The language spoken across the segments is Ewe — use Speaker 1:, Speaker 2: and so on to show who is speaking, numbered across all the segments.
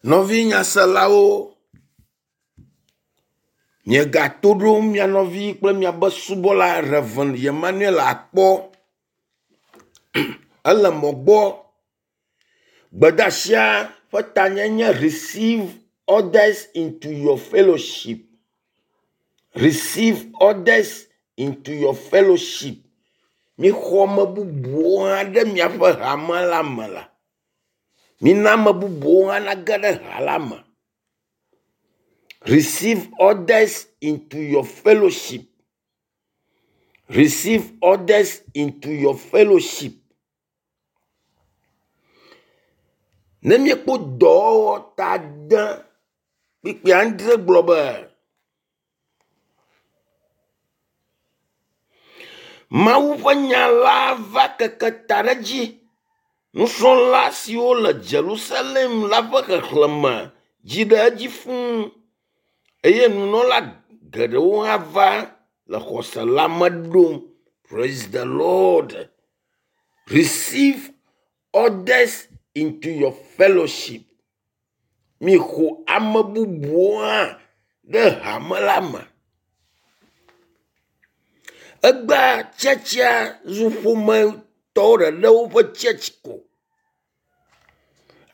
Speaker 1: Nɔvi nyaselawo, miegato ɖom mia nɔvi kple miabe subɔla Rev. Emmanuel Akpɔ. Ele mɔ gbɔ. Gbedeasia ƒe tanye nye receive others into your fellowship. Receive others into your fellowship. Mixɔ ame bubuwo hã ɖe miaƒe hame la me la. Mina ame bubuwo hã nage ɖe ha la me. Receive others into your fellowship. Receive others into your fellowship. Ne míekpɔ dɔwɔwɔ ta de kpukpui adre gblɔ be Mawu ƒe nya la va keke ta ɖe edzi. Nusrɔ̃la siwo le Jerusalem la ƒe xexlẽme dzi ɖe edzi fũu eye nunɔla geɖewo hã va le xɔse la me ɖom. Praise the Lord. Receive others into your fellowship. Mixɔ ame bubuwo hã ɖe hame la me. Egbea tsɛtsɛa zu ƒometɔwo ɖeɖe woƒe tsɛtsi ko.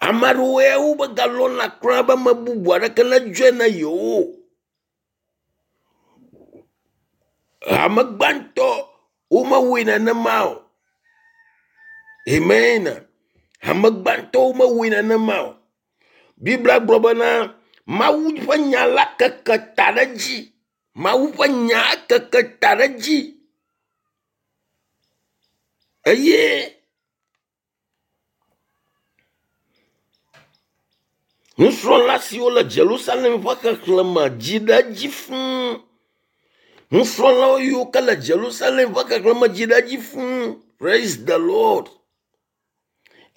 Speaker 1: Ame aɖewo ya womegalɔ̃na kura be ame bubu aɖeke nedzɔe na yewo o. Hame gbãtɔ womewɔe nenema o. Amen. Hame gbãtɔwo mewɔe nenema o. Biblia gblɔ bena Mawu ƒe nya la keke ta ɖe edzi. Mawu ƒe nya keke ta ɖe edzi eye nusrɔ̃la siwo le Jerusalem ƒe xexlẽme dzi ɖe edzi fũu. Nusrɔ̃lawo yiwo ke le Jerusalem ƒe xexlẽme dzi ɖe edzi fũu. Praise the Lord.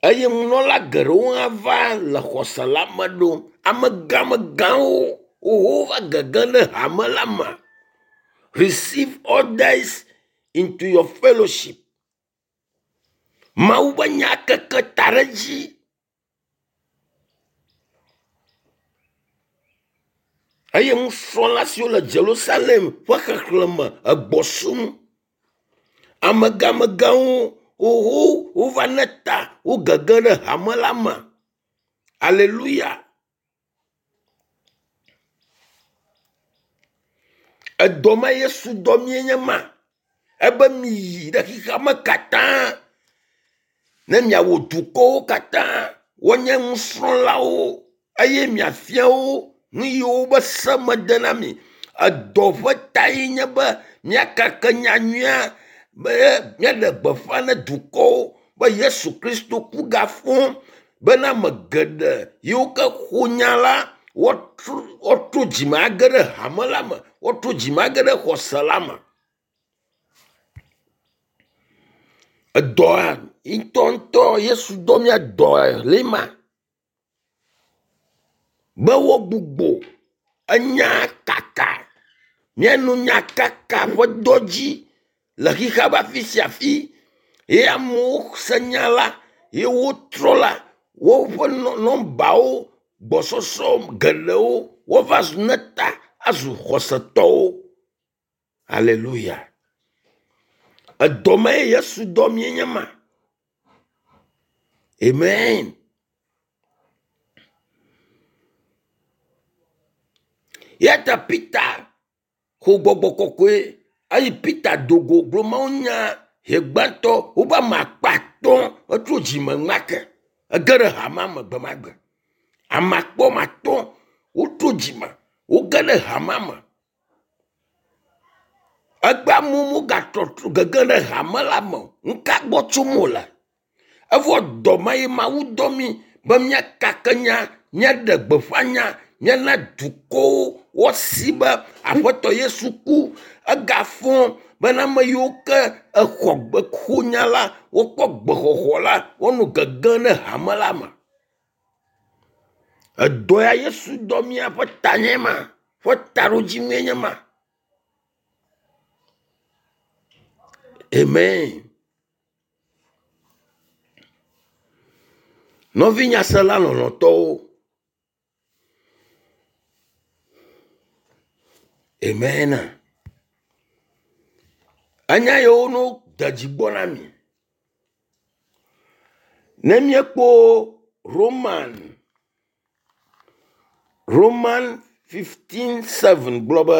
Speaker 1: Eye nunɔla geɖewo hã va le xɔse la me ɖom. Amegãmegãwo wowo va gege ɖe hame la me. Receive others into your fellowship. Mawu ƒe nya keke ta ɖe edzi. Eye nusrɔ̃la siwo le Jerusalem ƒe xexlẽme egbɔ sum. Amegãmegãwo wowo wova ne ta wo gege ɖe hame la me. Aleluya. Edɔ ma Yesu dɔ mie nye ma. Ebe miyi ɖe xexea me katã ne miawɔ dukɔwo katã woanye nusrɔ̃lawo eye miafia wo nu yiwo be se mede na mi. Edɔ ƒe tae nye be míakake nyanyuia be míaɖe gbeƒã ne dukɔwo be Yesu Kristo ku gafɔ bena ame geɖe yiwo ke xɔ nya la woatrɔ dzime age ɖe hame la me, woatrɔ dzime age ɖe xɔse la me. Edɔa ŋutɔŋutɔ Yesu dɔ mía dɔe le ma be woagbugbɔ enya kaka míanɔ nya kaka ƒe dɔ dzi le xexea ƒe afi sia afi ye amewo se nya la ye wotrɔ la woƒe nɔmbawo gbɔsɔsɔ geɖewo wova zu ne ta azu xɔsetɔwo. Aleluya. Edɔ ma ye Yesu dɔ mie nye ma. Amen. Ya ta Peter xɔ gbɔgbɔ kɔkɔe eye Peter do go gblɔ Mawu nya he gbãtɔ wobe ame akpe atɔ̃ etro dzime ŋmake ege ɖe hamea me gbe ma gbe. Ame akpe woame atɔ̃ wotro dzime woge ɖe hamea me. Egbe amewo mogatrɔ gege ɖe hame la me o. Nu ka gbɔ tsom wole? Evɔ dɔ ma ye Mawu dɔ mí be míakake nya, míaɖe gbeƒã nya, míana dukɔwo woasi be Aƒetɔ Yesu ku egafɔ bena ame yiwo ke exɔ gbe xɔ nya la wokpɔ gbexɔxɔ la wonɔ gege ɖe hame la me. Edɔ ya Yesu dɔ mía ƒe tanye ma ƒe taɖodzinue nye ma. Amen. Nɔvi nyasela lɔlɔ̃tɔwo. Amen. Enya yiwo no de dzi gbɔ na mi. Ne míekpɔ Roman Roman 15:7 gblɔ be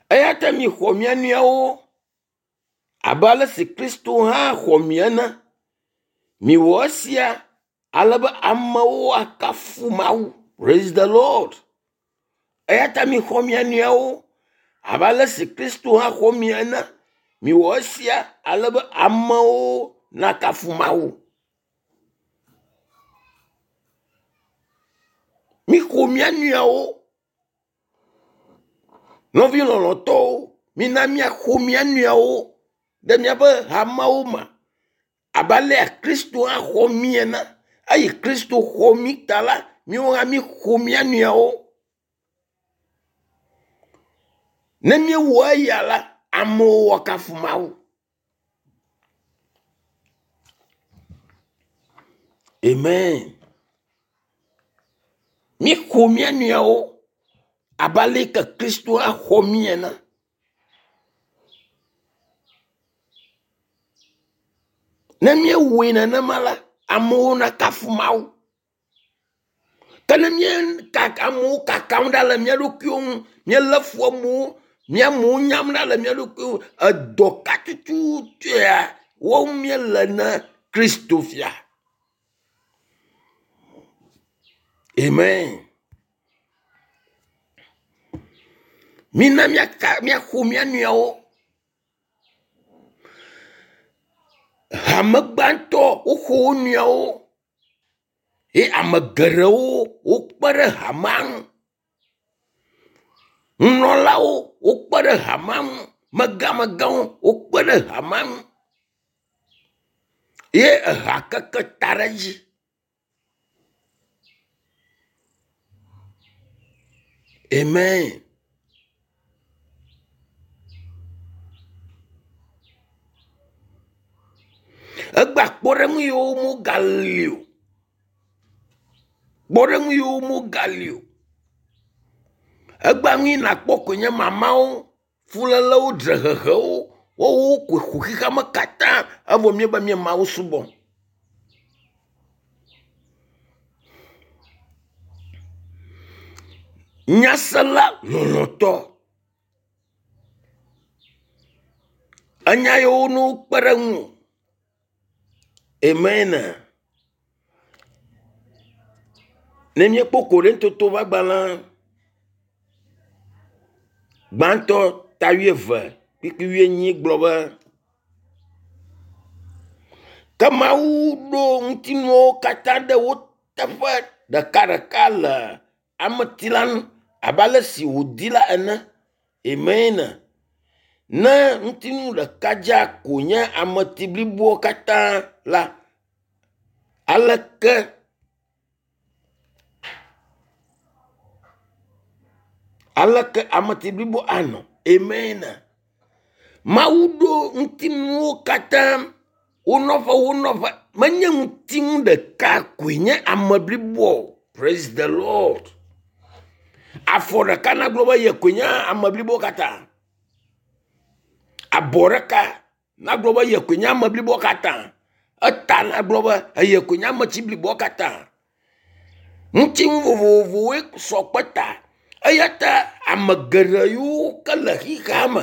Speaker 1: eya ta mixɔ mia nɔewo abe ale si Kristo hã xɔ mi ene. Miwɔ esia ale be amewo akafu Mawu. Praise the Lord. Eya ta mixɔ mia nɔewo abe ale si Kristo hã xɔ mi ene. Miwɔ esia ale be amewo nakafu Mawu. Mixɔ mia nɔewo. Nɔvi lɔlɔ̃tɔwo, mina míaxɔ mía nɔewo ɖe míaƒe hamewo me abe alea Kristo hã xɔ mí ene. Eyi Kristo xɔ mí ta la, míawo hã míxɔ mía nɔewo. Ne míewɔ eya la, amewo woakafu Mawu. Amen. Míxɔ mía nɔewo abe ale yi ke Kristo axɔ mí ene. Ne míewɔe nenema la, amewo nakafu Mawu. Ke ne míekaka amewo kakam ɖa le mía ɖokuiwo ŋu, míelé fu amewo, mía amewo nyam ɖa le mía ɖokuiwo ŋu, edɔ ka tututua wɔm míele ne Kristo fia? Amen. Mina míaka míaxo mía nɔewo. Hame gbãtɔ woxo wo nɔewo ye ame geɖewo wokpe ɖe hamea ŋu. Nunɔlawo wokpe ɖe hamea ŋu. Megamegãwo wokpe ɖe hamea ŋu ye eha keke ta ɖe edzi. Amen. Egbea kpɔɖeŋu yiwo megali o. Kpɔɖeŋu yiwo megali o. Egbea nu yi nakpɔ koe nye mamawo, fulélewo, dzrehehewo. Woawo koe ƒo xexeame katã evɔ míebe mía Mawu subɔm. Nyasela lɔlɔ̃tɔ. Enya yiwo ne wokpe ɖe ŋuwò. Amen. Ne míekpɔ Korintotowo ƒe agbalẽ gbãtɔ ta wuieve kpukpui wuienyi gblɔ be, Ke Mawu ɖo ŋutinuwo katã ɖe wo teƒe ɖekaɖeka le ameti la ŋu abe ale si wòdi la ene. Amen. Ne ŋutinu ɖeka dzaa ko nye ameti bliboa katã la, aleke aleke ameti blibo anɔ? Amen. Mawu ɖo ŋutinuwo katã wo nɔƒe wo nɔƒe. Menye ŋutinu ɖeka koe nye ame bliboa o. Praise the Lord. Afɔ ɖeka nagblɔ be ye koe nye ame blibo katã. Abɔ ɖeka nagblɔ be ye koe nye ame blibo katã. Eta nagblɔ be eye koe nye ametsi bliboa katã. Ŋutinu vovovowoe sɔ kpe ta. Eya ta ame geɖe yiwo ke le xexea me,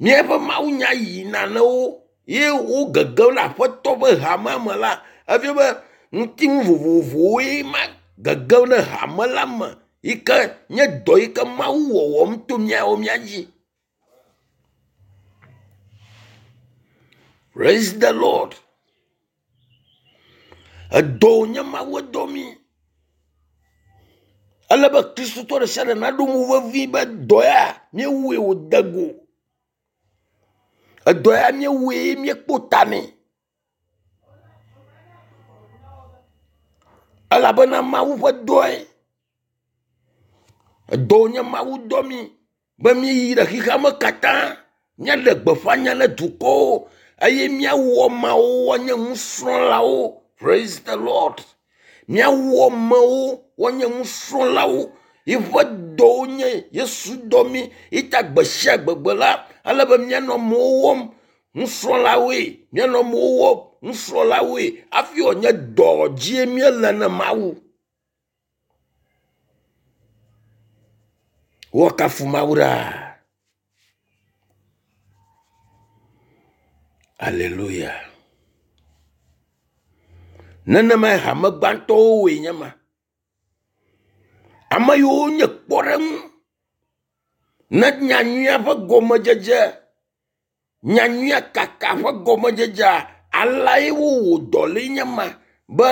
Speaker 1: míaƒe mawunya yina na wo ye wo gegem ɖe aƒetɔ ƒe hamea me la, efia be ŋutinu vovovowoe ma gegem ɖe hame la me yi ke nye dɔ yi ke Mawu wɔwɔm to míawo mía dzi. Praise the Lord. Edɔ wònye Mawu edɔ mí. Ele be Kristotɔ ɖe sia ɖe naɖo ŋu vevi be dɔ ya míewɔe wòde go. Edɔ ya míewɔe míekpɔ ta nɛ. Elabena Mawu ƒe dɔe. Edɔ wònye Mawu dɔ mí be míyi ɖe xexea me katã míaɖe gbeƒã nya na dukɔwo eye míawɔ ameawo woanye nusrɔ̃lawo. Praise the Lord. Míawɔ amewo woanye nusrɔ̃lawo. Yiƒe dɔwo nye Yesu dɔ mí yita gbe sia gbegbe la, ele be míanɔ amewo wɔm nusrɔ̃lawoe, míanɔ amewo wɔm nusrɔ̃lawoe hafi wòanye dɔ dzie míele ne Mawu. Woakafu Mawu ɖaa. Aleluya. Nenemae hame gbãtɔwo wɔe nye ma. Ame yiwo nye kpɔɖeŋu ne nyanyuia ƒe gɔmedzedze, nyanyuia kaka ƒe gɔmedzedzea, aleae wowɔ dɔ lee nye ma be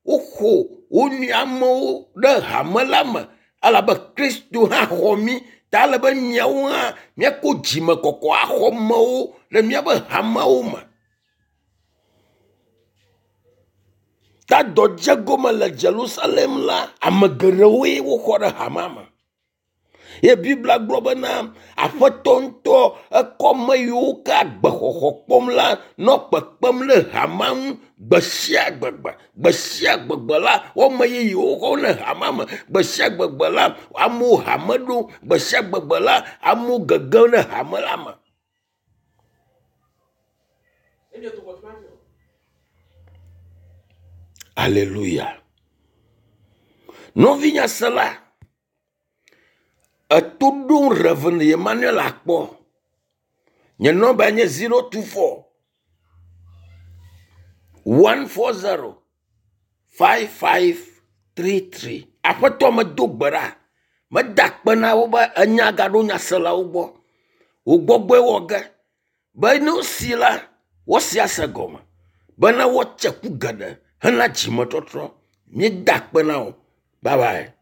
Speaker 1: woxɔ wo nɔe amewo ɖe hame la me elabe Kristo hã xɔ mí ta ele be miawo hã míako dzimekɔkɔ axɔ amewo le míaƒe hamewo me. Ta dɔ dze gome le Jerusalem la, ame geɖewoe woxɔ ɖe hamea me. Ye Biblia gblɔ bena Aƒetɔ ŋutɔ ekɔ ame yiwo ke agbexɔxɔ kpɔm la nɔ kpekpem ɖe hamea ŋu gbe sia gbegbe. Gbe sia gbegbe la, woame yeyewo xɔm ɖe hamea me. Gbe sia gbegbe la, amewo hame ɖom. Gbe sia gbegbe la, amewo gegem ɖe hame la me. Aleluya. Nɔvinyasela, eto ɖom Rev. Emmanuel akpɔ. Nye nɔmba nye 024 140 5533. Aƒetɔ medo gbe ɖa. Meda akpe na wo be enya gaɖo nyaselawo gbɔ. Wò gbɔgbɔe wɔ ge be ne wosi la, woasi ase gɔme bena woatse ku geɖe hena dzimetɔtrɔ. Míeda akpe na wò. Bye bye.